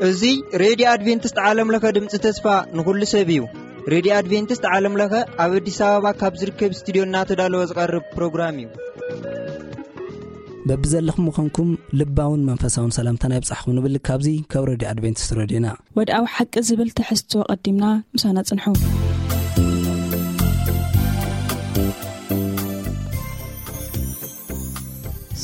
እዚ ሬድዮ ኣድቬንቲስት ዓለም ለኸ ድምፂ ተስፋ ንኹሉ ሰብ እዩ። ሬድዮ ኣድቬንቲስት ዓለም ለኸ ኣብ ኣዲስ ኣበባ ካብ ዝርከብ ስቱድዮ እናተዳለወ ዝቐርብ ፕሮግራም እዩ። በብዘለኹም ምዃንኩም ልባውን መንፈሳውን ሰላምታና ይብጻሕኩም ንብል። ካብዚ ካብ ሬድዮ ኣድቬንቲስት ሬድዮና። ወድኣዊ ሓቂ ዝብል ትሕዝቶ ቀዲምና ምሳና ጽንሑ።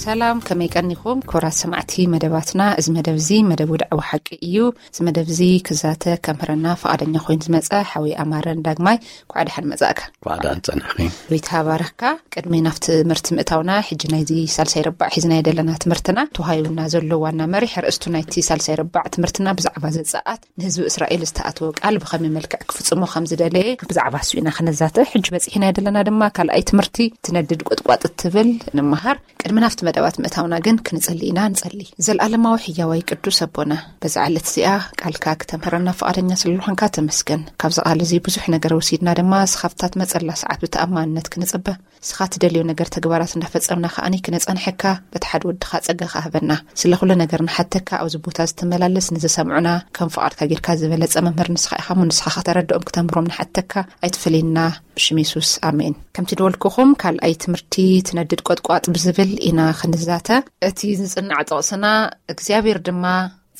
ሰላም፣ ከመይ ቀኒኹም ክቡራት ሰማዕቲ መደባትና? እዚ መደብ እዚ መደብ ወድዓዊ ሓቂ እዩ። እዚ መደብ እዚ ክዛተ ከምህረና ፍቓደኛ ኮይኑ ዝመጸ ሓወይ ኣማረን ዳግማይ፣ እንኳዕ ደሓን መጻእካ። እንኳዕ ደሓን ጸናሕኺ። ጎይታ ባረኽካ። ቅድሚ ናብ ትምህርቲ ምእታውና፣ ሕጂ ናይዚ ሳልሳይ ረባዕ ሒዝናዮ ዘለና ትምህርትና፣ ተዋሂቡና ዘሎ ዋና መሪሕ ኣርእስቱ ናይቲ ሳልሳይ ረባዕ ትምህርትና ብዛዕባ ዘጸኣት ንህዝቢ እስራኤል ዝተኣተወ ቃል ብኸመይ መልክዕ ክፍጽሞ ከም ዝደለየ ብዛዕባ እሱ ኢና ክነዛተ። ሕጂ በጺሕናዮ ዘለና ድማ ካልኣይ ትምህርቲ ትነድድ ቁጥቋጥ እትብል ንምሃር። ቅድሚ ናብቲ መደባት ምእታውና ግን ክንጽሊ ኢና። ንጸሊ። ዘልኣለማዊ ሕያዋይ ቅዱስ ኣቦና፣ በዛ ዕለት እዚኣ ቃልካ ክተምህረና ፍቓደኛ ስለ ዝኾንካ ተመስገን። ካብዚ ቃል እዚ ብዙሕ ነገር ወሲድና ድማ፣ እስኻ ኣብታ ትመጸላ ሰዓት ብተኣማንነት ክንጽበ፣ እስኻ ትደልዮ ነገር ተግባራት እንዳፈጸምና ከኣኒ ክነጸንሐካ፣ በቲ ሓደ ወድኻ ጸጋኻ ሃበና። ስለ ኩሉ ነገር ንሓተካ፣ ኣብዚ ቦታ ዝተመላለስ ንዝሰምዑና ከም ፍቓድካ ጌርካ ዝበለጸ መምህር ንስኻ ኢኻ እሞ፣ ንስኻ ከተረድኦም ክተምህሮም ንሓተካ፣ ኣይትፈለየና። ብሽም የሱስ፣ ኣሜን። ከምቲ ድበልኩኹም፣ ካልኣይ ትምህርቲ ትነድድ ቆጥቋጥ ብዝብል ኢና ክንዛተ። እቲ ዝጽናዕ ጥቕስና፣ እግዚኣብሔር ድማ፣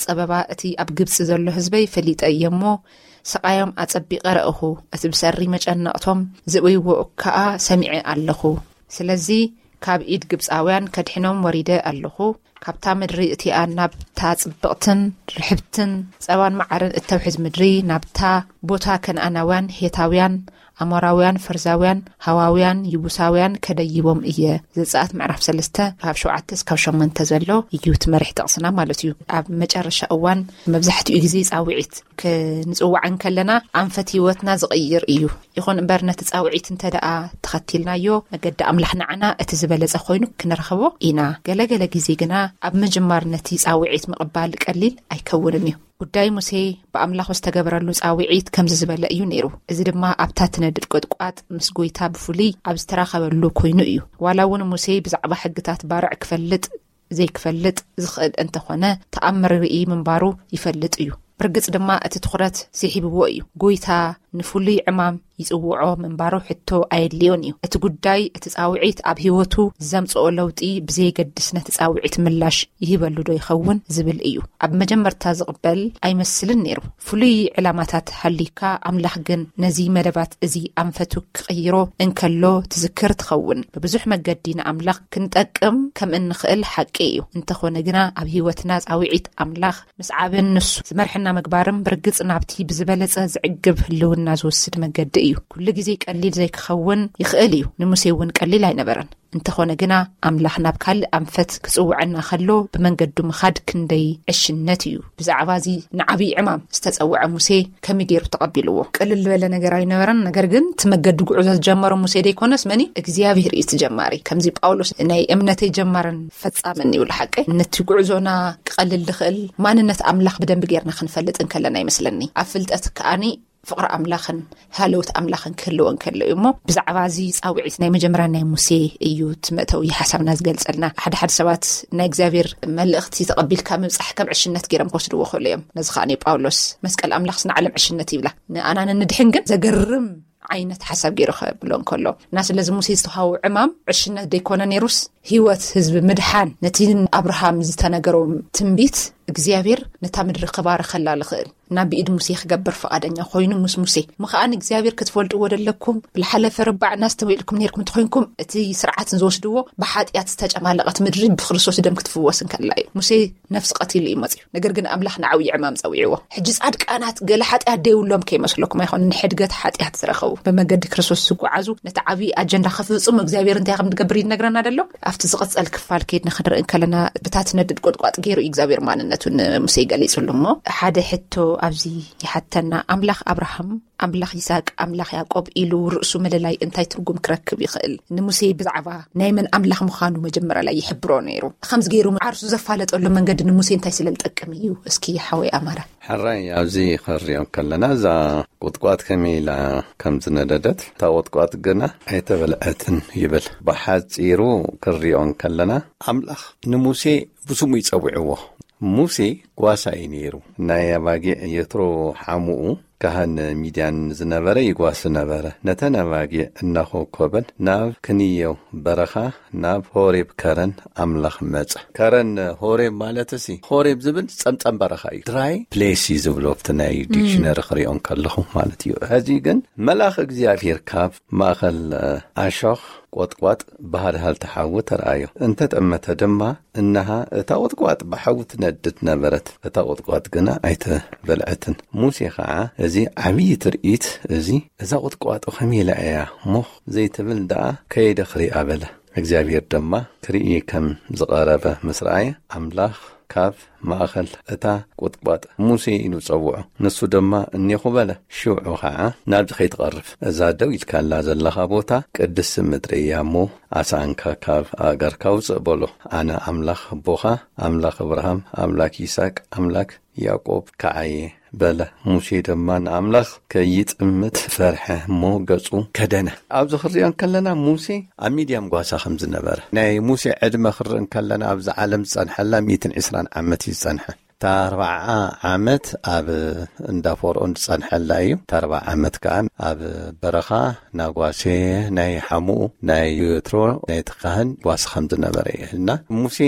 ጸበባ እቲ ኣብ ግብጺ ዘሎ ህዝበይ ፈሊጠ እየ እሞ፣ ስቓዮም ኣጸቢቐ ረእኹ፣ እቲ ብሰሪ መጨነቕቶም ዝእውይዎ ከኣ ሰሚዐ ኣለኹ። ስለዚ ካብ ኢድ ግብጻውያን ከድሕኖም ወሪደ ኣለኹ። ካብታ ምድሪ እቲኣ ናብታ ጽብቕትን ርሕብትን ጸባን መዓርን እተውሕዝ ምድሪ፣ ናብታ ቦታ ከነኣናውያን፣ ሄታውያን፣ ኣሞራውያን፣ ፈርዛውያን፣ ሃዋውያን፣ ይቡሳውያን ከደይቦም እየ። ዘጸኣት ምዕራፍ ሰለስተ ካብ ሸውዓተ እስካብ ሸሞንተ ዘሎ እዩ እቲ መሪሕ ጥቕስና ማለት እዩ። ኣብ መጨረሻ እዋን መብዛሕትኡ ግዜ ጻውዒት ክንጽዋዕ እንከለና ኣንፈት ህይወትና ዝቕይር እዩ። ይኹን እምበር ነቲ ጻውዒት እንተ ደኣ ተኸቲልናዮ፣ መገዲ ኣምላኽ ንዓና እቲ ዝበለጸ ኮይኑ ክንረኽቦ ኢና። ገለ ገለ ግዜ ግና ኣብ ምጅማር ነቲ ጻውዒት ምቕባል ቀሊል ኣይከውንን እዩ። ጉዳይ ሙሴ ብኣምላኹ ዝተገበረሉ ጻውዒት ከምዚ ዝበለ እዩ ነይሩ። እዚ ድማ ኣብታ ትነድድ ቁጥቋጥ ምስ ጐይታ ብፍሉይ ኣብ ዝተራኸበሉ ኮይኑ እዩ። ዋላ እውን ሙሴ ብዛዕባ ሕግታት ባርዕ ክፈልጥ ዘይክፈልጥ ዝኽእል እንተኾነ፣ ተኣምር ርኢ ምንባሩ ይፈልጥ እዩ። ብርግጽ ድማ እቲ ትኹረት ስሒብዎ እዩ። ጐይታ ንፍሉይ ዕማም ይጽውዖ ምንባሩ ሕቶ ኣየድልዮን እዩ። እቲ ጉዳይ፣ እቲ ጻውዒት ኣብ ህይወቱ ዘምጽኦ ለውጢ ብዘየገድስ፣ ነቲ ጻውዒት ምላሽ ይህበሉ ዶ ይኸውን ዝብል እዩ። ኣብ መጀመርታ ዝቕበል ኣይመስልን ነይሩ። ፍሉይ ዕላማታት ሃልዩካ፣ ኣምላኽ ግን ነዚ መደባት እዚ ኣንፈቱ ክቕይሮ እንከሎ ትዝክር ትኸውን። ብብዙሕ መገዲ ንኣምላኽ ክንጠቅም ከም እንኽእል ሓቂ እዩ። እንተኾነ ግና፣ ኣብ ህይወትና ጻውዒት ኣምላኽ ምስዓብን ንሱ ዝመርሐና ምግባርን ብርግጽ ናብቲ ብዝበለጸ ዝዕግብ ህልውና ዝወስድ መገዲ እዩ። ኩሉ ግዜ ቀሊል ዘይክኸውን ይኽእል እዩ። ንሙሴ እውን ቀሊል ኣይነበረን። እንተኾነ ግና፣ ኣምላኽ ናብ ካልእ ኣንፈት ክጽውዐና ከሎ ብመንገዱ ምኻድ ክንደይ ዕሽነት እዩ። ብዛዕባ እዚ ንዓብዪ ዕማም ዝተጸውዐ ሙሴ ከመይ ገይሩ ተቐቢልዎ? ቅልል ዝበለ ነገር ኣይነበረን። ነገር ግን፣ እቲ መገዲ ጉዕዞ ዝጀመሮ ሙሴ ደይኮነስ፣ መን እዩ? እግዚኣብሔር እዩ እቲ ጀማሪ። ከምዚ ጳውሎስ፣ "ናይ እምነተይ ጀማርን ፈጻምን ይብሉ ሓቀይ?" ነቲ ጉዕዞና ክቐልል ዝኽእል ማንነት ኣምላኽ ብደንቢ ጌርና ክንፈልጥ እንከለና ይመስለኒ። ኣብ ፍልጠት ከኣኒ ፍቕሪ ኣምላኽን ሃለውት ኣምላኽን ክህልዎ እንከሎ እዩ። እሞ ብዛዕባ እዚ ጻውዒት ናይ መጀመርያ ናይ ሙሴ እዩ እቲ መእተዊ ሓሳብና ዝገልጸልና። ሓደ ሓደ ሰባት ናይ እግዚኣብሔር መልእኽቲ ተቐቢልካ ምብጻሕ ከም ዕሽነት ገይሮም ክወስድዎ ክእሉ እዮም። ነዚ ከኣ ናይ ጳውሎስ፣ "መስቀል ኣምላኽስ ንዓለም ዕሽነት" ይብላ። ንኣና ንድሕን ግን ዘገርም ዓይነት ሓሳብ ገይሩ ከብሎ እንከሎ፣ እና ስለዚ ሙሴ ዝተዋህቦ ዕማም ዕሽነት ደይኮነ ነይሩስ፣ ህይወት ህዝቢ ምድሓን፣ ነቲ ንኣብርሃም ዝተነገሮ ትንቢት እግዚኣብሔር ነታ ምድሪ ክባርኸላ ዝኽእል ናብ ብኢድ ሙሴ ክገብር ፍቓደኛ ኮይኑ ምስ ሙሴ። እሞ ከኣ ንእግዚኣብሔር ክትፈልጥዎ ደለኩም፣ ብዝሓለፈ ረባዕና ኣስተውዒልኩም ነይርኩም እንተኾይንኩም፣ እቲ ስርዓት ዝወስድዎ ብሓጢኣት ዝተጨማለቐት ምድሪ ብክርስቶስ ደም ክትፍወስ እንከላ እዩ። ሙሴ ነፍሲ ቀቲሉ እዩ መጺኡ። ነገር ግን ኣምላኽ ንዓብዪ ዕማም ጸዊዕዎ። ሕጂ ጻድቃናት ገለ ሓጢኣት ደይብሎም ከይመስለኩም ኣይኮነን፣ ንሕድገት ሓጢኣት ዝረኸቡ፣ ብመገዲ ክርስቶስ ዝጓዓዙ፣ ነቲ ዓብዪ ኣጀንዳ ክፍጽሙ እግዚኣብሔር እንታይ ከም ዝገብር ይነግረና ደሎ። ኣብቲ ዝቕጸል ክፋል ከይድና ክንርኢ እንከለና፣ ብታ ትነድድ ቁጥቋጥ ገይሩ እዩ እግዚኣብሔር ማንነቱ። ንሙሴ ገሊጹሉ። እሞ ሓደ ሕቶ ኣብዚ ይሓተና። ኣምላኽ ኣብርሃም፣ ኣምላኽ ይስሐቅ፣ ኣምላኽ ያዕቆብ ኢሉ ርእሱ ምልላይ እንታይ ትርጉም ክረክብ ይኽእል? ንሙሴ ብዛዕባ ናይ መን ኣምላኽ ምዃኑ መጀመርያ ላይ ይሕብሮ ነይሩ። ከምዚ ገይሩ ዓርሱ ዘፋለጠሉ መንገዲ ንሙሴ እንታይ ስለ ዝጠቅም እዩ? እስኪ ሓወይ ኣማረ። ሕራይ፣ ኣብዚ ክንሪኦ ከለና እዛ ቁጥቋጥ ከመይ ኢላ ከም ዝነደደት፣ እታ ቁጥቋጥ ግና ኣይተበልዐትን ይብል። ብሓጺሩ ክንሪኦ ከለና ኣምላኽ ንሙሴ ብስሙ ይጸውዕዎ። ሙሴ ጓሳ እዩ ነይሩ። ናይ ኣባጊዕ የትሮ ሓሙኡ ካህን ሚድያን ዝነበረ ይጓሲ ነበረ። ነተን ኣባጊዕ እናኾኮበን ናብ ክንየው በረኻ፣ ናብ ሆሬብ ከረን ኣምላኽ መጸ። ከረን ሆሬብ ማለት ሲ፣ ሆሬብ ዝብል ጸምጸም በረኻ እዩ። ድራይ ፕሌስ እዩ ዝብሎ ኣብቲ ናይ ዲክሽነሪ ክሪኦ ከለኹ ማለት እዩ። ሕዚ ግን መልኣኽ እግዚኣብሔር ካብ ማእኸል ኣሾኽ ቆጥቋጥ ባህርሃል ተሓዊ ተረኣዮ። እንተጠመተ ድማ፣ እንሃ እታ ቆጥቋጥ ብሓዊ ትነድድ ነበረት። እታ ቆጥቋጥ ግና ኣይተበልዐትን። ሙሴ ኸዓ፣ እዚ ዓብዪ ትርኢት እዚ፣ እዛ ቆጥቋጥ ከመይ ኢላ እያ ሞኽ ዘይትብል ደኣ ከይደ ክሪኣ በለ። እግዚኣብሔር ድማ ክርኢ ከም ዝቐረበ ምስ ረኣየ፣ ኣምላኽ ካብ ማእኸል እታ ቁጥቋጥ፣ "ሙሴ" ኢሉ ጸውዖ። ንሱ ድማ፣ "እኔኹ" በለ። ሽዑ ኸዓ፣ "ናብዚ ከይትቐርብ፣ እዛ ደው ኢልካላ ዘለኻ ቦታ ቅድስቲ ምድሪ እያ እሞ፣ ኣስኣንካ ካብ ኣእጋርካ ውጽእ" በሎ። "ኣነ ኣምላኽ ኣቦኻ፣ ኣምላኽ እብርሃም፣ ኣምላክ ይስሐቅ፣ ኣምላክ ያዕቆብ ከዓየ" በለ። ሙሴ ድማ ንኣምላኽ ከይጥምት ፈርሐ እሞ ገጹ ከደነ። ኣብዚ ክሪኦ እንከለና ሙሴ ኣብ ሚድያም ጓሳ ከም ዝነበረ፣ ናይ ሙሴ ዕድመ ክርኢ እንከለና ኣብዚ ዓለም ዝጸንሐላ ሚእትን ዕስራን ዓመት እዩ ዝጸንሐ። እታ ኣርብዓ ዓመት ኣብ እንዳ ፈርኦን ዝጸንሐላ እዩ። እታ ኣርብዓ ዓመት ከኣ ኣብ በረኻ ናጓሴ ናይ ሓሙኡ ናይ የትሮ ናይቲ ካህን ጓሳ ከም ዝነበረ እዩ። እና ሙሴ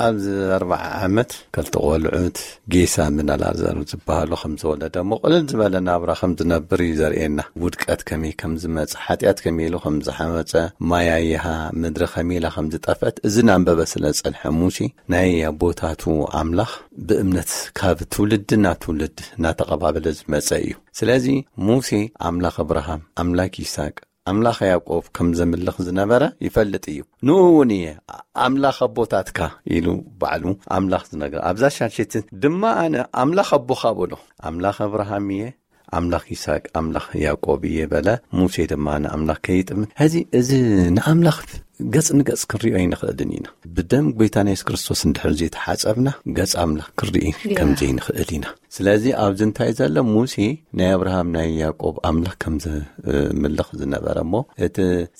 ኣብዚ ኣርብዓ ዓመት ክልተ ቆልዑት ጌሳ ምን ኣልኣዛር ዝበሃሉ ከም ዝወለደ፣ እሞ ቅልል ዝበለ ናብራ ከም ዝነብር እዩ ዘርእየና። ውድቀት ከመይ ከም ዝመጽእ፣ ሓጢኣት ከመይ ኢሉ ከም ዝሓመጸ፣ ማያይሃ ምድሪ ከመይ ኢላ ከም ዝጠፍአት፣ እዚ እናንበበ ስለ ዝጸንሐ ሙሴ፣ ናይ ኣቦታቱ ኣምላኽ ብእምነት ካብ ትውልዲ ናብ ትውልዲ እናተቐባበለ ዝመጸ እዩ። ስለዚ ሙሴ ኣምላኽ እብርሃም፣ ኣምላክ ይስሐቅ፣ ኣምላኽ ያዕቆብ ከም ዘምልኽ ዝነበረ ይፈልጥ እዩ። ንኡ እውን እየ ኣምላኽ ኣቦታትካ ኢሉ ባዕሉ ኣምላኽ ዝነግር። ኣብዛ ሻልሸይቲ ድማ ኣነ ኣምላኽ ኣቦኻ በሎ። ኣምላኽ እብርሃም እየ፣ ኣምላኽ ይስሐቅ፣ ኣምላኽ ያዕቆብ እየ በለ። ሙሴ ድማ ንኣምላኽ ከይጥምን። ሕዚ እዚ ንኣምላኽ ገጽ ንገጽ ክንሪኦ ኣይንኽእልን ኢና። ብደም ጎይታና የሱስ ክርስቶስ እንድሕር ዘይተሓጸብና፣ ገጽ ኣምላኽ ክንርኢ ከም ዘይንኽእል ኢና። ስለዚ ኣብዚ እንታይ ዘሎ? ሙሴ ናይ ኣብርሃም ናይ ያዕቆብ ኣምላኽ ከም ዘምልኽ ዝነበረ፣ እሞ እቲ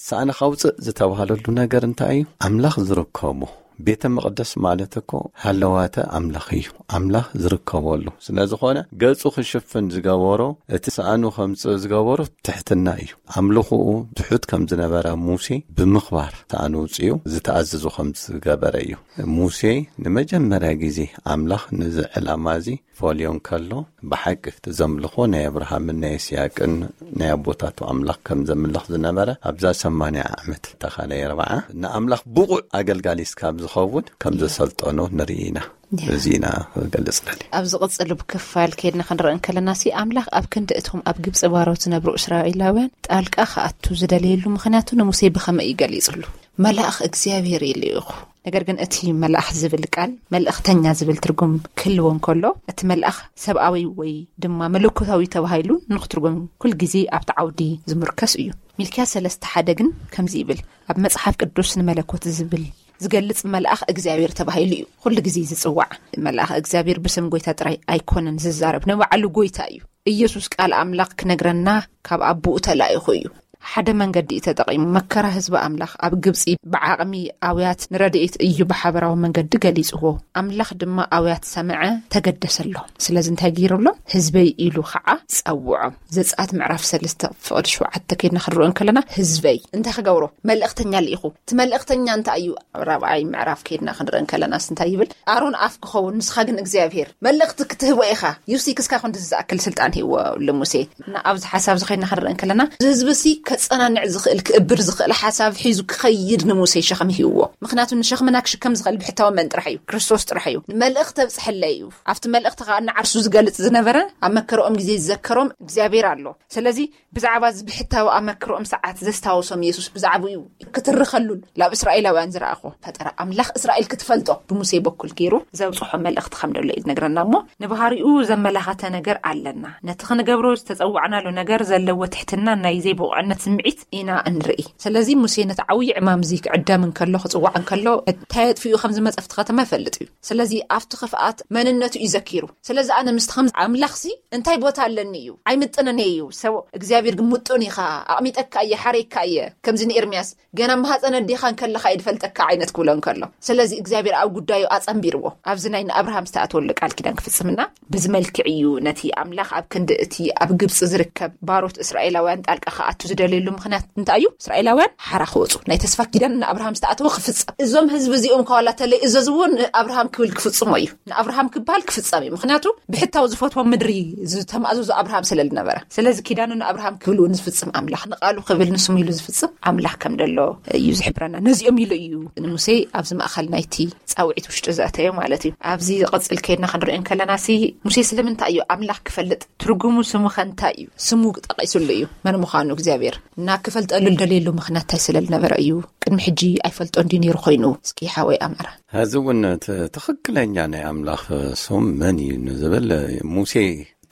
ሳእንኻ ውፅእ ዝተባህለሉ ነገር እንታይ እዩ? ኣምላኽ ዝርከቦ ቤተ መቕደስ ማለት እኮ ሃለዋተ ኣምላኽ እዩ፣ ኣምላኽ ዝርከበሉ። ስለ ዝኾነ ገጹ ክሽፍን ዝገበሮ፣ እቲ ሳእኑ ከምጽእ ዝገበሮ ትሕትና እዩ። ኣምልኾኡ ትሑት ከም ዝነበረ ሙሴ ብምኽባር ሳእኑ ውፅኡ ዝተኣዘዞ ከም ዝገበረ እዩ። ሙሴ ንመጀመርያ ግዜ ኣምላኽ ነዚ ዕላማ እዚ ፈልዮ እንከሎ፣ ብሓቂ እቲ ዘምልኾ ናይ ኣብርሃምን ናይ ይስያቅን ናይ ኣቦታቱ ኣምላኽ ከም ዘምልኽ ዝነበረ፣ ኣብዛ ሰማንያ ዓመት ተኻላይ ኣርብዓ ንኣምላኽ ብቑዕ ኣገልጋሊ እስካብ ዝኸውን ከም ዘሰልጠኖ ንርኢ ኢና። ያ። እዚ ኢና ክገልጽ ደሊ። ኣብ ዝቕጽል ክፋል ከይድና ክንርኢ እንከለና ሲ፣ ኣምላኽ ኣብ ክንዲ እቶም ኣብ ግብጺ ባሮት ዝነብሩ እስራኤላውያን ጣልቃ ክኣቱ ዝደለየሉ ምኽንያቱ ንሙሴ ብኸመይ እዩ ገሊጹሉ? "መልኣኽ እግዚኣብሔር እዩ ልኢኹ።" ነገር ግን እቲ መልኣኽ ዝብል ቃል መልእኽተኛ ዝብል ትርጉም ክህልዎ እንከሎ፣ እቲ መልኣኽ ሰብኣዊ ወይ ድማ መለኮታዊ ተባሂሉ ንክትርጎም ኩል ግዜ ኣብቲ ዓውዲ ዝምርከስ እዩ። ሚልክያስ ሰለስተ ሓደ ግን ከምዚ ይብል፣ ኣብ መጽሓፍ ቅዱስ ንመለኮት ዝብል ዝገልጽ መልኣኽ እግዚኣብሔር ተባሂሉ እዩ ኩሉ ግዜ ዝጽዋዕ። መልኣኽ እግዚኣብሔር ብስም ጎይታ ጥራይ ኣይኮነን ዝዛረብ፣ ንባዕሉ ጎይታ እዩ። ኢየሱስ ቃል ኣምላኽ ክነግረና ካብ ኣቦኡ ተላኢኹ እዩ። ሓደ መንገዲ እዩ ተጠቒሙ። መከራ ህዝቢ ኣምላኽ ኣብ ግብጺ ብዓቕሚ ኣውያት ንረድኤት እዩ ብሓበራዊ መንገዲ ገሊጽዎ። ኣምላኽ ድማ ኣውያት ሰምዐ፣ ተገደሰሎም። ስለዚ እንታይ ገይሩሎም? ህዝበይ ኢሉ ኸዓ ጸውዖም። ዘጸኣት ምዕራፍ ሰለስተ ፍቕዲ ሸውዓተ ከይድና ክንርኢ እንከለና፣ ህዝበይ እንታይ ክገብሮ? መልእኽተኛ ልኢኹ። እቲ መልእኽተኛ እንታይ እዩ? ራብዓይ ምዕራፍ ከይድና ክንርኢ እንከለናስ እንታይ ይብል? ኣሮን ኣፍ ክኸውን፣ ንስኻ ግን እግዚኣብሔር። መልእኽቲ ክትህቦ ኢኻ። ዩሲ ክስካ ክንዲ ዝኣክል ስልጣን ሂብዎ ልሙሴ። እና ኣብዚ ሓሳብ እዚ ከይድና ክንርኢ እንከለና፣ እዚ ህዝቢ ሲ ከ-፣ ክጸናንዕ ዝኽእል፣ ክእብር ዝኽእል ሓሳብ ሒዙ ክኸይድ ንሙሴ ሸኽሚ ሂብዎ። ምኽንያቱ ንሸኽምና ክሽከም ዝኽእል ብሕታዊ መን ጥራሕ እዩ? ክርስቶስ ጥራሕ እዩ። ንመልእኽቲ ተብጽሐለይ እዩ። ኣብቲ መልእኽቲ ከኣ ንዓርሱ ዝገልጽ ዝነበረ፣ ኣብ መከረኦም ግዜ ዝዘከሮም እግዚኣብሔር ኣሎ። ስለዚ ብዛዕባ እዚ ብሕታዊ ኣመክሮኦም ሰዓት ዘስታወሶም የሱስ ብዛዕባኡ እዩ ክትርኸሉን ናብ እስራኤላውያን ዝረኣኹ። ፈጠራ ኣምላኽ እስራኤል ክትፈልጦ ብሙሴ በኩል ገይሩ ዘብጽሖ መልእኽቲ ከም ደሎ እዩ ዝነግረና። እሞ ንባህሪኡ ዘመላኸተ ነገር ኣለና። ነቲ ክንገብሮ ዝተጸዋዕናሉ ነገር ዘለዎ ትሕትና ናይ ዘይብቑዕነት ስምዒት ኢና እንርኢ። ስለዚ ሙሴ ነቲ ዓብዪ ዕማም እዚ ክዕደም እንከሎ፣ ክጽዋዕ እንከሎ፣ እንታይ ኣጥፊኡ ከም ዝመጸ ኣብቲ ከተማ ይፈልጥ እዩ። ስለዚ ኣብቲ ክፍኣት መንነቱ እዩ ዘኪሩ። ስለዚ ኣነ ምስቲ ከም ኣምላኽሲ እንታይ ቦታ ኣለኒ እዩ? ኣይምጥንን እዩ። ሰብ እግዚኣብሔር ግን ምጡን ኢኻ፣ ኣቕሚጠካ እየ፣ ሓረይካ እየ። ከምዚ ንኤርምያስ ገና ማህፀን ኣዴኻ እንከለኻ እየ ድፈልጠካ ዓይነት ክብሎ እንከሎ። ስለዚ እግዚኣብሔር ኣብ ጉዳዩ ኣጸንቢርዎ። ኣብዚ ናይ ንኣብርሃም ዝተኣተወሉ ቃል ኪዳን ክፍጽምና ብዚ መልክዕ እዩ ነቲ ኣምላኽ ኣብ ክንዲ እቲ ኣብ ግብጺ ዝርከብ ባሮት እስራኤላውያን ጣልቃ ክኣቱ ዝደለየሉ ምኽንያት እንታይ እዩ? እስራኤላውያን ሓራ ክወጹ፣ ናይ ተስፋ ኪዳን ንኣብርሃም ዝተኣተወ ክፍጸም። እዞም ህዝቢ እዚኦም ከዋላ ተለይ እዘዝዎ ንኣብርሃም ክብል ክፍጽሞ እዩ። ንኣብርሃም ክበሃል ክፍጸም እዩ። ምኽንያቱ ብሕታዊ ዝፈትዎ ምድሪ ዝተማእዘዙ ኣብርሃም ስለ ዝነበረ። ስለዚ ኪዳኑ ንኣብርሃም ክብል እውን ዝፍጽም ኣምላኽ፣ ንቓሉ ክብል ንስሙ ኢሉ ዝፍጽም ኣምላኽ ከም ደሎ እዩ ዝሕብረና። ነዚኦም ኢሉ እዩ ንሙሴ ኣብዚ ማእኸል ናይቲ ጻውዒት ውሽጢ ዘእተዮ ማለት እዩ። ኣብዚ ዝቕጽል ከይድና ክንሪኦ እንከለና ሲ ሙሴ ስለምንታይ እዩ ኣምላኽ ክፈልጥ? ትርጉሙ ስሙ ከ እንታይ እዩ? ስሙ ጠቒሱሉ እዩ መን ምዃኑ እግዚኣብሔር። እና ክፈልጠሉ ዝደልየሉ ምኽንያት እንታይ ስለ ዝነበረ እዩ? ቅድሚ ሕጂ ኣይፈልጦ እንድዩ ነይሩ ኮይኑ? እስኪ ሓወይ ኣምዕራ። እዚ እውን እቲ ትኽክለኛ ናይ ኣምላኽ ስም መን እዩ ንዝብል ሙሴ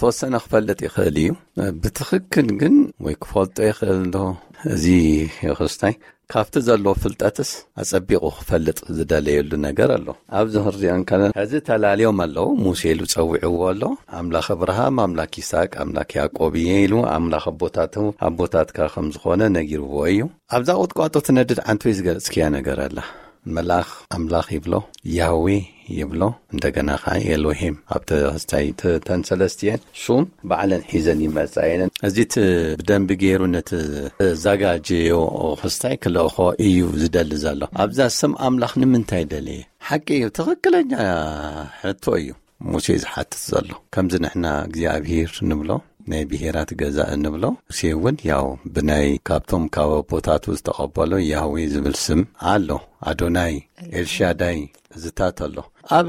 ተወሰነ ክፈልጥ ይኽእል እዩ። ብትኽክል ግን ወይ ክፈልጦ ይኽእል ዶ? እዚ የኽስታይ ካብቲ ዘለዎ ፍልጠትስ ኣጸቢቑ ክፈልጥ ዝደለየሉ ነገር ኣሎ። ኣብዚ ክንሪኦ እንከለና፣ ሕዚ ተላልዮም ኣለዉ። ሙሴ ኢሉ ጸዊዕዎ ኣሎ። ኣምላኽ እብርሃም፣ ኣምላኽ ይስሐቅ፣ ኣምላኽ ያዕቆብ እየ ኢሉ፣ ኣምላኽ ኣቦታቱ፣ ኣቦታትካ ከም ዝኾነ ነጊርዎ እዩ። ኣብዛ ቁጥቋጦ ትነድድ ዓንቶ እዩ ዝገልጽክያ ነገር ኣላ። መልኣኽ ኣምላኽ ይብሎ፣ ያህዌ ይብሎ፣ እንደገና ኸዓ ኤሎሂም። ኣብ ተስታይ ተ-፣ ተን ሰለስቲኤን ሹም ባዕለን ሒዘን ይመጻ እየን። እዚ እቲ ብደንቢ ገይሩ ነቲ ዘጋጀዮ ክስታይ ክልእኾ እዩ ዝደሊ ዘሎ። ኣብዛ ስም ኣምላኽ ንምንታይ ደለየ? ሓቂ እዩ፣ ትኽክለኛ ሕቶ እዩ ሙሴ ዝሓትት ዘሎ። ከምዚ ንሕና እግዚኣብሔር ንብሎ፣ ናይ ብሄራት ገዛእ ንብሎ፣ ሙሴ እውን ያው ብናይ ካብቶም ካብ ኣቦታቱ ዝተቐበሎ ያህዌ ዝብል ስም ኣሎ። ኣዶናይ፣ ኤልሻዳይ፣ እዝታት ኣሎ። ኣብ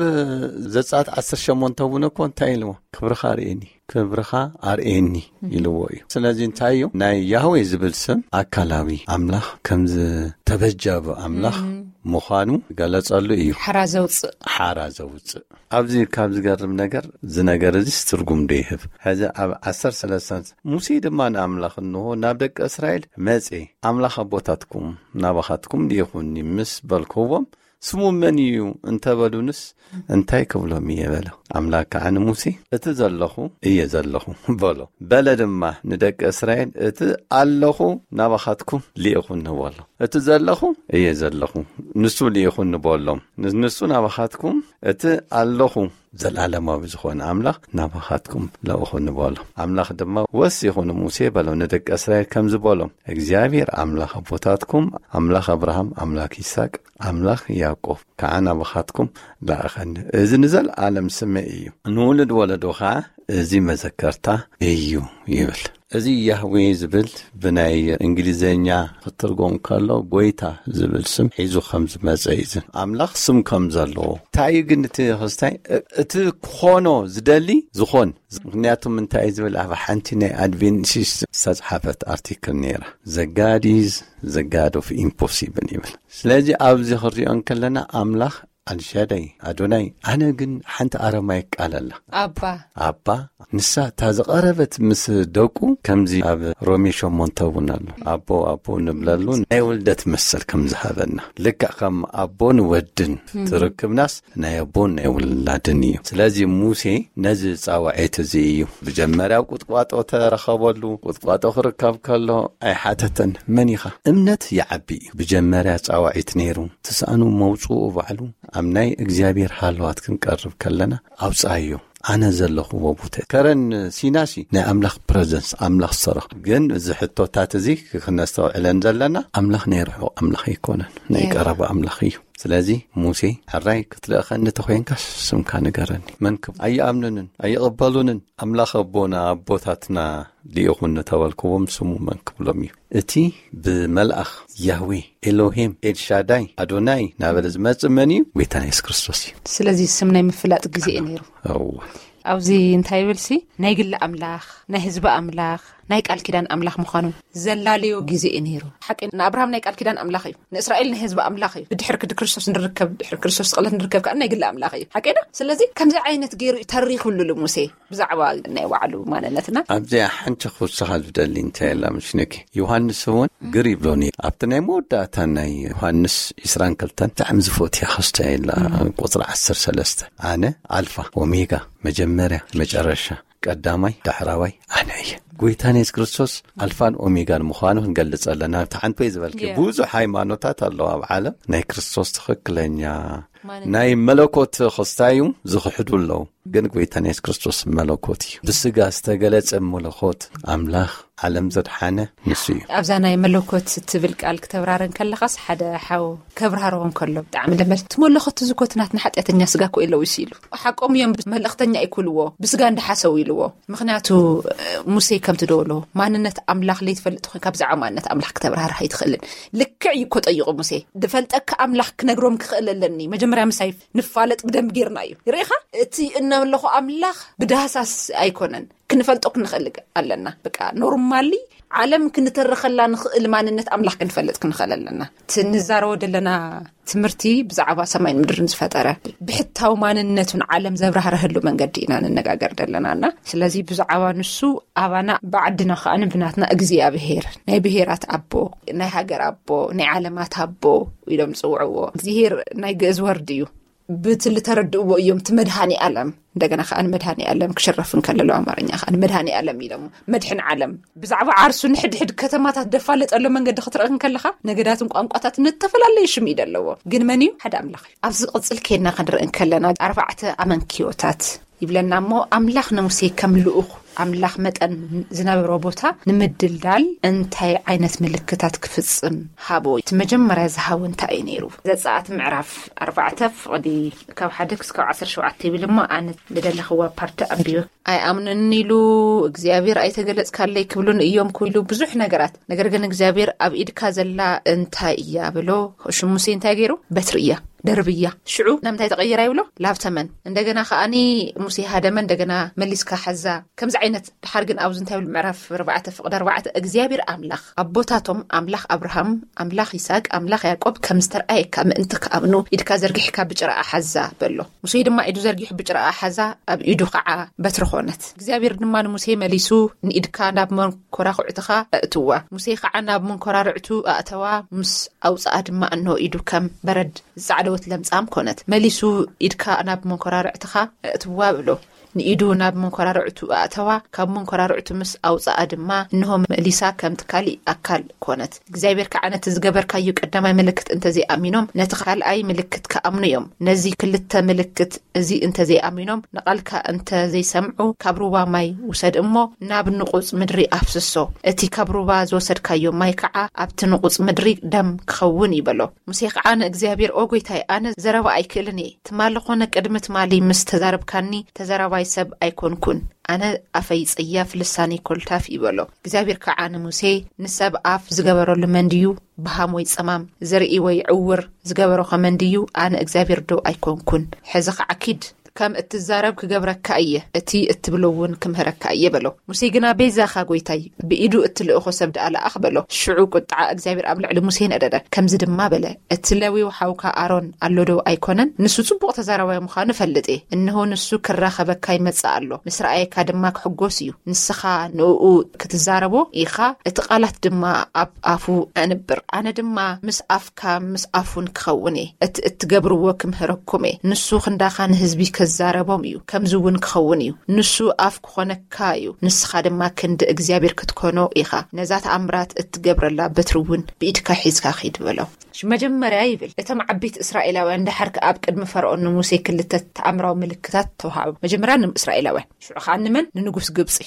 ዘጸኣት ዓሰርተ ሸሞንተ እውን እኮ እንታይ ኢልዎ? "ክብርኻ ርእየኒ፣ ክብርኻ ኣርእየኒ" ኢልዎ እዩ። ስለዚ እንታይ እዩ? ናይ ያህዌ ዝብል ስም ኣካላዊ ኣምላኽ ከም ዝተበጀበ ኣምላኽ ምዃኑ ገለጸሉ እዩ። ሓራ ዘውጽእ። ሓራ ዘውጽእ። ኣብዚ ካብ ዝገርም ነገር፣ እዚ ነገር እዚስ ትርጉም ዶ ይህብ? ሕዚ ኣብ ዓሰርተ ሰለስተ፣ "ሙሴ ድማ ንኣምላኽ፣ እንሆ፣ ናብ ደቂ እስራኤል መጼ፣ ኣምላኽ ኣቦታትኩም ናባኻትኩም ልኢኹኒ ምስ በልክዎም፣ ስሙ መን እዩ እንተበሉንስ፣ እንታይ ክብሎም እየ?" በለ። ኣምላኽ ከዓ ንሙሴ፣ "እቲ ዘለኹ እየ ዘለኹ" በሎ። በለ ድማ ንደቂ እስራኤል፣ "እቲ ኣለኹ ናባኻትኩም ልኢኹኒ" በሎ። "እቲ ዘለኹ እየ ዘለኹ፣ ንሱ ልኢኹኒ" በሎም። ን-፣ ንሱ ናባኻትኩም፣ "እቲ ኣለኹ ዘላለማዊ ዝኾነ ኣምላኽ ናባኻትኩም ልኢኹኒ" በሎ። ኣምላኽ ድማ ወሲኹ ንሙሴ በሎ፣ ንደቂ እስራኤል ከምዚ በሎም፣ "እግዚኣብሔር ኣምላኽ ኣቦታትኩም፣ ኣምላኽ ኣብርሃም፣ ኣምላኽ ይስሐቅ፣ ኣምላኽ ያዕቆብ ከዓ ናባኻትኩም ለኣኸኒ። እዚ ንዘለኣለም ስመይ እዩ፣ ንውሉድ ወለዶ ከዓ እዚ መዘከርታ እዩ" ይብል። እዚ ያህዌ ዝብል ብናይ እንግሊዘኛ ክትርጎም ከሎ ጎይታ ዝብል ስም ሒዙ ከም ዝመጸ እዩ። እዚ ኣምላኽ ስም ከም ዘለዎ። እንታይ እዩ ግን እቲ ክስታይ? እ-፣ እቲ ክኾኖ ዝደሊ ዝኾን። ምኽንያቱ እንታይ እዩ ዝብል? ኣብ ሓንቲ ናይ ኣድቬንቲስት ዝተጽሓፈት ኣርቲክል ነይራ። "The God is the God of impossible" ይብል። ስለዚ ኣብዚ ክንሪኦ እንከለና ኣምላኽ ኣልሻዳይ፣ ኣዶናይ፣ ኣነ ግን ሓንቲ ኣረማይክ ቃል ኣላ። ኣባ። ኣባ፣ ንሳ እታ ዝቐረበት ምስ ደቁ፣ ከምዚ ኣብ ሮሜ ሸሞንተ እውን ኣሎ። ኣቦ፣ ኣቦ ንብለሉ ናይ ውልደት መሰል ከም ዝሃበና። ልክዕ ከም ኣቦን ወድን ትርክብናስ ናይ ኣቦን ናይ ውላድን እዩ። ስለዚ ሙሴ ነዚ ጻውዒት እዚ እዩ። ብጀመርያ ኣብ ቁጥቋጦ ተረኸበሉ። ቁጥቋጦ ክርከብ ከሎ ኣይሓተተን፣ "መን ኢኻ?" እምነት ይዓቢ እዩ። ብጀመርያ ጻውዒት ነይሩ። ትስኣኑ መውጽኡ ባዕሉ ኣብ ናይ እግዚኣብሔር ሃለዋት ክንቀርብ ከለና፣ "ኣውጽኣዮ፣ ኣነ ዘለኹዎ ቦታ" ከረን ሲናሲ ናይ ኣምላኽ ፕረዘንስ፣ ኣምላኽ ሰረኽ። ግን እዚ ሕቶታት እዚ ክነስተውዕለን ዘለና፣ ኣምላኽ ናይ ርሑቕ ኣምላኽ ኣይኮነን፣ ናይ ናይ ቀረባ ኣምላኽ እዩ። ስለዚ ሙሴ፣ ሕራይ ክትልእኸኒ ተኾይንካስ ስምካ ንገረኒ። መን ክብ-፣ ኣይኣምኑንን ኣይቕበሉንን። ኣምላኽ ኣቦና ኣቦታትና ልኢኹኒ ተበልክዎም ስሙ መን ክብሎም እዩ? እቲ ብመልኣኽ ያህዌ ኤሎሂም ኤልሻዳይ ኣዶናይ ናበለ ዝመጽእ መን እዩ? ጎይታና የሱስ ክርስቶስ እዩ። ስለዚ ስም ናይ ምፍላጥ ግዜ እዩ ነይሩ። እወ። ኣብዚ እንታይ ይብል ሲ፣ ናይ ግሊ ኣምላኽ፣ ናይ ህዝቢ ኣምላኽ፣ ናይ ቃል ኪዳን ኣምላኽ ምዃኑ ዘላለዮ ግዜ እዩ ነይሩ። ሓቂ ንኣብርሃም ናይ ቃል ኪዳን ኣምላኽ እዩ፣ ንእስራኤል ናይ ህዝቢ ኣምላኽ እዩ። ብድሕር ክዲ ክርስቶስ ንርከብ፣ ድሕር ክርስቶስ ስቕለት ንርከብ ከዓ ናይ ግሊ ኣምላኽ እዩ። ሓቂ ዶ? ስለዚ ከምዚ ዓይነት ገይሩ እዩ ተሪኹሉ ሙሴ ብዛዕባ ናይ ባዕሉ ማንነትና። ኣብዚኣ ሓንቲ ክውስኻ ዝደሊ እንታይ ኣላ ምሽነኪ? ዮሃንስ እውን ግር ይብሎኒ። ኣብቲ ናይ መወዳእታ ናይ ዮሃንስ ዕስራን ክልተን ብጣዕሚ ዝፈትያ ክስተ የላ፣ ቁጽሪ ዓሰርተ ሰለስተ፣ ኣነ ኣልፋ ኦሜጋ፣ መጀመርያ መጨረሻ፣ ቀዳማይ ዳሕራዋይ ኣነ እየ። ጎይታና የሱስ ክርስቶስ ኣልፋን ኦሜጋን ምዃኑ ክንገልጽ ኣለና። ኣብቲ ሓንቲ ወይ ዝበልኪ፣ የ- ብዙሕ ሃይማኖታት ኣለዋ ኣብ ዓለም። ናይ ክርስቶስ ትኽክለኛ ማንነት። ናይ መለኮት ክስታዩ ዝኽሕዱ ኣለዉ። ግን ጎይታና የሱስ ክርስቶስ መለኮት እዩ። ብስጋ ዝተገለጸ መለኮት ኣምላኽ ዓለም ዘድሓነ ንሱ እዩ። ኣብዛ ናይ መለኮት ትብል ቃል ክተብራረ እንከለኻስ፣ ሓደ ሓው ከብራርዎ እንከሎ ብጣዕሚ ለመድ፣ እቲ መለኮት እዚ እኮ እቲ ናትና ሓጢኣተኛ ስጋ እኮ እዩ ለዊሱ ኢሉ። ሓቆም እዮም፣ መልእኽተኛ ኣይክብልዎ፣ ብስጋ እንዳሓሰው ኢልዎ። ምኽንያቱ፣ እ፣ ሙሴ ከምቲ ደበሎ፣ ማንነት ኣምላኽ ለይትፈልጥ ኮይንካ ብዛዕባ ማንነት ኣምላኽ ክተብራርህ ኣይትኽእልን። ልክዕ እዩ እኮ ጠይቑ ሙሴ። ድፈልጠካ ኣምላኽ ክነግሮም ክኽእል ኣለኒ። መጀመርያ ምሳይ ንፋለጥ ብደንብ ጌርና እዩ። ርኢኻ? እቲ እነምለኾ ኣምላኽ ብዳህሳስ ኣይኮነን። ክንፈልጦ ክንኽእል ኣለና። በቃ ኖርማሊ ዓለም ክንተርኸላ ንኽእል ማንነት ኣምላኽ ክንፈልጥ ክንኽእል ኣለና። እቲ ንዛረቦ ዘለና ትምህርቲ ብዛዕባ ሰማይን ምድርን ዝፈጠረ ብሕታዊ ማንነቱን ዓለም ዘብራህረህሉ መንገዲ ኢና ንነጋገር ዘለና እና ስለዚ ብዛዕባ ንሱ ኣባና ብዓድና ከኣ ብናትና እግዚኣብሄር ናይ ብሄራት ኣቦ ናይ ሃገር ኣቦ ናይ ዓለማት ኣቦ ኢሎም ዝጽውዕዎ እግዚኣብሄር ናይ ግእዝ ወርድ እዩ። ብትሊ ተረድእዎ እዮም እቲ መድሃኒ ኣለም እንደገና ከኣ ንመድሃኒ ኣለም ክሽረፍ እንከለሎ ኣማርኛ ከኣ ንመድሃኒ ኣለም ኢሎም መድሕን ዓለም ብዛዕባ ዓርሱ ንሕድሕድ ከተማታት ደፋለጠሎ መንገዲ ክትርኢ እንከለኻ ነገዳትን ቋንቋታትን እተፈላለየ ሽም እዩ ዘለዎ። ግን መን እዩ? ሓደ ኣምላኽ እዩ። ኣብዚ ዝቕጽል ኬድና ክንርኢ እንከለና ኣርባዕተ ኣመንኪዮታት ይብለና እሞ ኣምላኽ ንሙሴ ከም ልኡኽ ኣምላኽ መጠን ዝነበሮ ቦታ ንምድልዳል እንታይ ዓይነት ምልክታት ክፍጽም ሃቦ? እቲ መጀመርያ ዝሃቦ እንታይ እዩ ነይሩ? ዘጸኣት ምዕራፍ ኣርባዕተ ፍቕዲ ካብ ሓደ ክስካብ ዓሰርተ ሸውዓተ ይብል እሞ ኣነ ዝደለኽዋ ፓርቲ ኣንብዮ። ኣይኣምንን ኢሉ እግዚኣብሔር ኣይተገለጽካለይ ክብሉን እዮም ክብሉ ብዙሕ ነገራት። ነገር ግን እግዚኣብሔር ኣብ ኢድካ ዘላ እንታይ እያ ብሎ። ሽሙ ሙሴ እንታይ ገይሩ? በትሪ እያ፣ ደርቢ እያ። ሽዑ ናብ እንታይ ተቐይራ ይብሎ? ላብ ተመን። እንደገና ከኣኒ ሙሴ ሃደመ፣ እንደገና መሊስካ ሓዛ። ከምዚ ዓይነት ድሓር ግን ኣብዚ እንታይ ይብል? ምዕራፍ ኣርባዕተ ፍቕዲ ኣርባዕተ እግዚኣብሔር ኣምላኽ ኣቦታቶም ኣምላኽ ኣብርሃም ኣምላኽ ይስሐቅ ኣምላኽ ያዕቆብ ከም ዝተርኣየካ ምእንቲ ክኣምኑ ኢድካ ዘርጊሕካ ብጭራኣ ሓዛ በሎ። ሙሴ ድማ ኢዱ ዘርጊሑ ብጭራኣ ሓዛ፣ ኣብ ኢዱ ኸዓ በትሪ ኾነት። እግዚኣብሔር ድማ ንሙሴ መሊሱ ንኢድካ ናብ መንኮራኹዕትኻ ኣእትዋ። ሙሴ ኸዓ ናብ መንኮራርዕቱ ኣእተዋ፣ ምስ ኣውፅኣ ድማ እንሆ ኢዱ ከም በረድ ዝፃዕደወት ለምፃም ኮነት። መሊሱ ኢድካ ናብ መንኮራርዕትኻ ኣእትዋ በሎ። ንኢዱ ናብ መንኮራርዕቱ ኣእተዋ፣ ካብ መንኮራርዕቱ ምስ ኣውፅኣ ድማ እንሆ መሊሳ ከምቲ ካሊእ ኣካል ኮነት። እግዚኣብሔር ከዓ ነቲ ዝገበርካዮ ቀዳማይ ምልክት እንተዘይኣሚኖም ነቲ ካልኣይ ምልክት ክኣምኑ እዮም። ነዚ ክልተ ምልክት እዚ እንተዘይኣሚኖም ንቓልካ እንተዘይሰምዑ ካብ ሩባ ማይ ውሰድ እሞ ናብ ንቑፅ ምድሪ ኣፍስሶ። እቲ ካብ ሩባ ዝወሰድካዮ ማይ ከዓ ኣብቲ ንቑፅ ምድሪ ደም ክኸውን እዩ በሎ። ሙሴ ከዓ ንእግዚኣብሔር ኦ ጎይታይ ኣነ ዘረባ ኣይክእልን እየ። ትማሊ ኾነ ቅድሚ ትማሊ ምስ ተዛረብካኒ ተዛራባይ ሰብ ኣይኮንኩን። ኣነ ኣፈይ ጸያፍ ልሳነይ ኮልታፍ እዩ በሎ። እግዚኣብሔር ከዓ ንሙሴ ንሰብ ኣፍ ዝገበረሉ መን ድዩ? ብሃም ወይ ጸማም ዘርኢ ወይ ዕውር ዝገበሮ ኸመን ድዩ? ኣነ እግዚኣብሔር ዶ ኣይኮንኩን? ሕዚ ከዓ ኪድ ከም እትዛረብ ክገብረካ እየ፣ እቲ እትብሎ እውን ክምህረካ እየ በሎ። ሙሴ ግና ቤዛኻ ጐይታይ ብኢዱ እትልእኾ ሰብ ደኣ ለኣኽ በሎ። ሽዑ ቁጥዓ እግዚኣብሔር ኣብ ልዕሊ ሙሴ ነደደ። ከምዚ ድማ በለ፣ እቲ ለዊው ሓውካ ኣሮን ኣሎ ዶ ኣይኮነን? ንሱ ጽቡቕ ተዛራባይ ምዃኑ እፈልጥ እየ። እንሆ ንሱ ክራኸበካ ይመጽእ ኣሎ፣ ምስ ረኣየካ ድማ ክሕጎስ እዩ። ንስኻ ንእኡ ክትዛረቦ ኢኻ፣ እቲ ቃላት ድማ ኣብ ኣፉ ኣንብር። ኣነ ድማ ምስ ኣፍካ ምስ ኣፉን ክኸውን እየ። እቲ እትገብርዎ ክምህረኩም እየ። ንሱ ክንዳኻ ንህዝቢ ክዛረቦም እዩ፣ ከምዚ እውን ክኸውን እዩ። ንሱ ኣፍ ክኾነካ እዩ፣ ንስኻ ድማ ክንዲ እግዚኣብሔር ክትኮኖ ኢኻ። ነዛ ተኣምራት እትገብረላ በትሪ እውን ብኢድካ ሒዝካ ኺድ በሎ። እሺ፣ መጀመርያ ይብል፣ እቶም ዓበይቲ እስራኤላውያን ደሓር ከኣ ኣብ ቅድሚ ፈርኦን ንሙሴ ክልተ ተኣምራዊ ምልክታት ተዋሃቡ። መጀመርያ ንእስራኤላውያን፣ ሽዑ ከኣ ንመን? ንንጉስ ግብጺ።